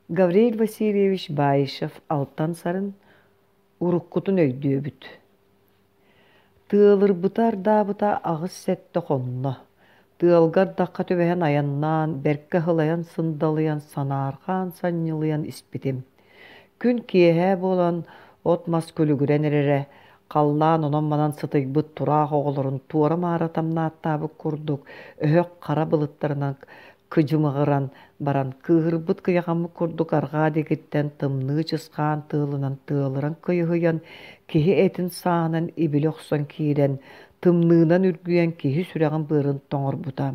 Гавриил Васильевич Баишев Алтан Сарын уруккутун өйдүөбүт. Тыалырбыта-ардаабыта 8-7 хонно. Тыалга ардахха түбэһэн айаннаан, бэркэ ыһылайан-сындалыйан, санаарҕаан-санньылыйан испитим. Күн киэһэ буолан, от-мас күлүгүрэн эрэрэ, халлаан онон-манан сытыйбыт тураах оҕолорун туора-маара тамнааттаабыт курдук өһөх хара былыттарынан кыдьымаҕыран баран, кыыһырбыт кыйахаммыт курдук арҕаа диэкиттэн тымныы чысхаан тыалынан тыалыран кыйыһыйан, киһи этин сааһынан ибили охсон киирэн, тымныынан үргүйэн киһи сүрэҕин-быарын тоҥорбута.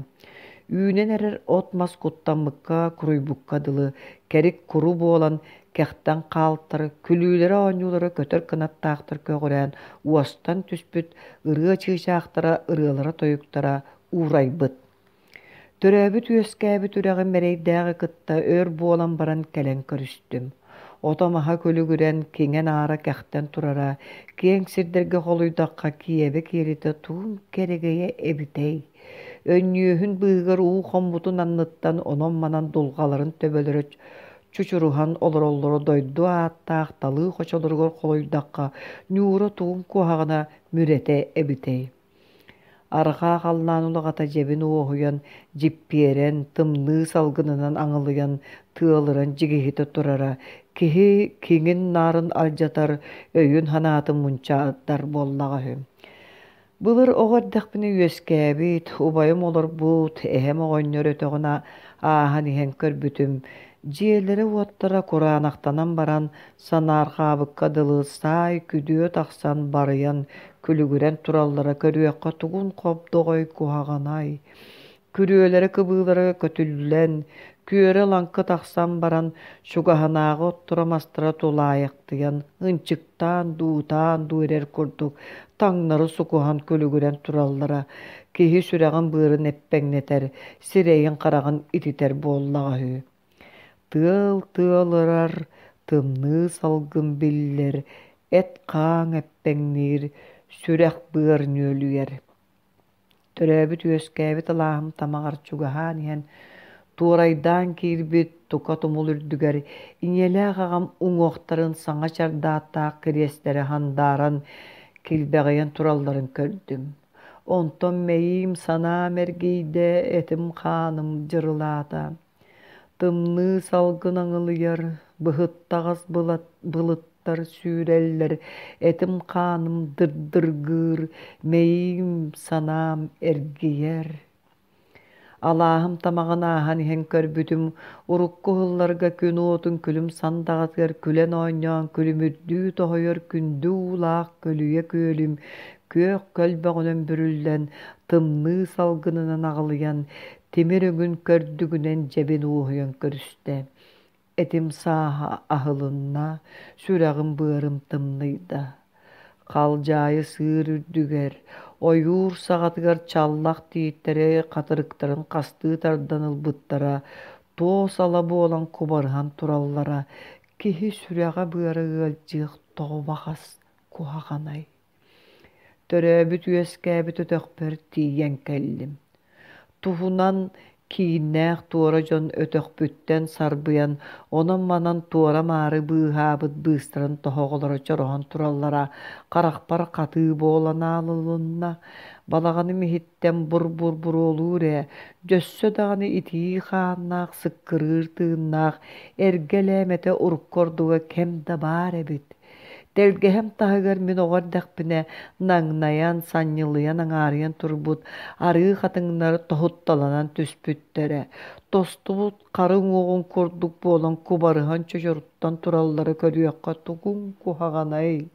Үүнэн эрэр от-мас куттаммыкка, куруйбукка дылы, кэрик куру буолан, кэхтэн хаалтар, күлүүлэрэ-оонньуулара көтөр кынаттаахтар көҕүрээн, уостан түспүт ырыа чыычаахтара ырыалара-тойуктара уурайбыт. Төрөөбүт-үөскээбит үрэҕим эрэйдээҕи кытта өр буолан баран кэлэн көрүстүм. Ото-маһа күлүгүрэн, киҥэ-наара кэхтэн турара, киэҥ сирдэргэ холуйдахха киэбэ киэлитэ тугун кэрэгэйэ эбитэй? Өнньүөһүн быыһыгар уу хоммутун анныттан онон-манан дулҕаларын төбөлөрө чучуруһан олороллоро дойду ааттаах талыы хочолоругар холуйдахха ньуура тугун куһаҕана мүрэтэ эбитэй? Арҕаа халлаан улаҕата дьэбин уоһуйан, дьиппиэрэн, тымныы салгынынан аҥылыйан, тыалыран дьигиһитэ турара киһи киҥин-наарын алдьатар, өйүн-санаатын мунчаардар буоллаҕа үһү. Былыр оҕо эрдэхпинэ үөскээбит, убайым олорбут, эһэм оҕонньор өтөҕүн ааһан иһэн көрбүтүм, дьиэлэрэ-уоттара кураанахтанан баран, санаарҕаабыкка дылы саай күдүө тахсан барыйан күлүгүрэн тураллара көрүөххэ тугун хобдоҕой куһаҕанай. Күрүөлэрэ-кыбыылара көтүллэн, күөрэ-лаҥкы тахсан баран, чугаһынааҕы отторо-мастара тулаайахтыйан, ынчыктаан дуутаан дуу эрэр курдук таҥнары сукуһан күлүгүрэн тураллара киһи сүрэҕин-быарын эппэҥнэтэр, сирэйин-хараҕын ититэр буоллаҕа үһү. Тыал тыалырар, тымныы салгын биллэр, эт-хаан эппэҥниир, сүрэх-быар нүөлүйэр. Төрөөбүт-үөскээбит алааһым тамаҕар чугаһаан иһэн, туорайдаан киирбит тука тумул үрдүгэр ийэлээх аҕам уҥуохтарын саҥа чардааттаах кириэстэрэ хандааран килбэҕийэн туралларын көрдүм. Онтон мэйиим санаам эргийдэ, этим-хааным дьырылаата. Тымныы салгын аҥылыйар, быһыттаҕас былыттар сүүрэллэр, этим-хааным дырдыргыыр, мэйиим санаам эргийэр. Алааһым тамаҕын ааһан иһэн көрбүтүм, урукку уһулларга күн уотун күлүм сандаҕатыгар күлэн оонньоон күлүмүрдүү тоһуйар күндү уулаах көлүйэ күөлүм күөх көлбөҕүнэн бүрүллэн, тымныы салгынынан аҕылыйан, тимир өҥүн көрдүгүнэн дьэбин уоһуйан көрүстэ. Этим сааһа аһылынна, сүрэҕим-быарым тымныйда. Халдьаайы сыыр үрдүгэр, ойуур саҕатыгар чаллах тииттэри хатырыктарын хастыы тардан ылбыттара, туос ала буолан кубарыһан тураллара, киһи сүрэҕэ-быара ыалдьыах тоҕо баҕас куһаҕанай. Төрөөбүт-үөскээбит өтөхпөр тиийэн кэллим. Туһунан кииннээх туора дьон өтөхпүттэн сарбыйан, онон-манан туора-маары быыһаабыт быыстарын тоһоҕолоро чороһон тураллара харахпар хатыы буолан аалылынна. Балаҕаным иһиттэн бур-бур буруолуур ээ, дьөссө даҕаны итии хааннаах, сыккырыыр тыыннаах эргэ элээмэтэ урукку ордуга кэм да баар эбит. Тэлгэһэм таһыгар мин оҕо эрдэхпинэ наҥнайан, санньылыйан аҥаарыйан турбут арыы хатыҥнар тоһутталанан түспүттэрэ, тостубут хары уҥуоҕун курдук буолан кубарыһан чочоруттан тураллара көрүөххэ тугуҥ куһаҕанай.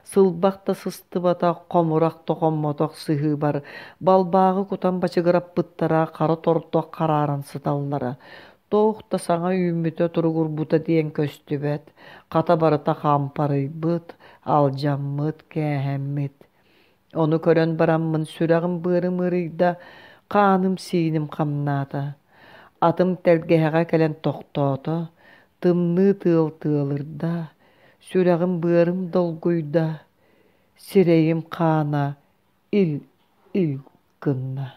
Сылбах да сыстыбатах, хомурах да хоммотох сыһыыбар балбааҕы кутан бачыгыраппыттара хара тордох харааран сыталлара. Туох да саҥа үүммүтэ туругурбута диэн көстүбэт, хата барыта хампарыйбыт, алдьаммыт, кээһэммит. Ону көрөн бараммын сүрэҕим-быарым ыарыйда, хааным-сииним хамнаата. Атым тэлгэһэҕэ кэлэн тохтоото, тымныы тыал тыалырда, сүрэҕим-быарым долгуйда, сирэйим хаана ил-ил гынна.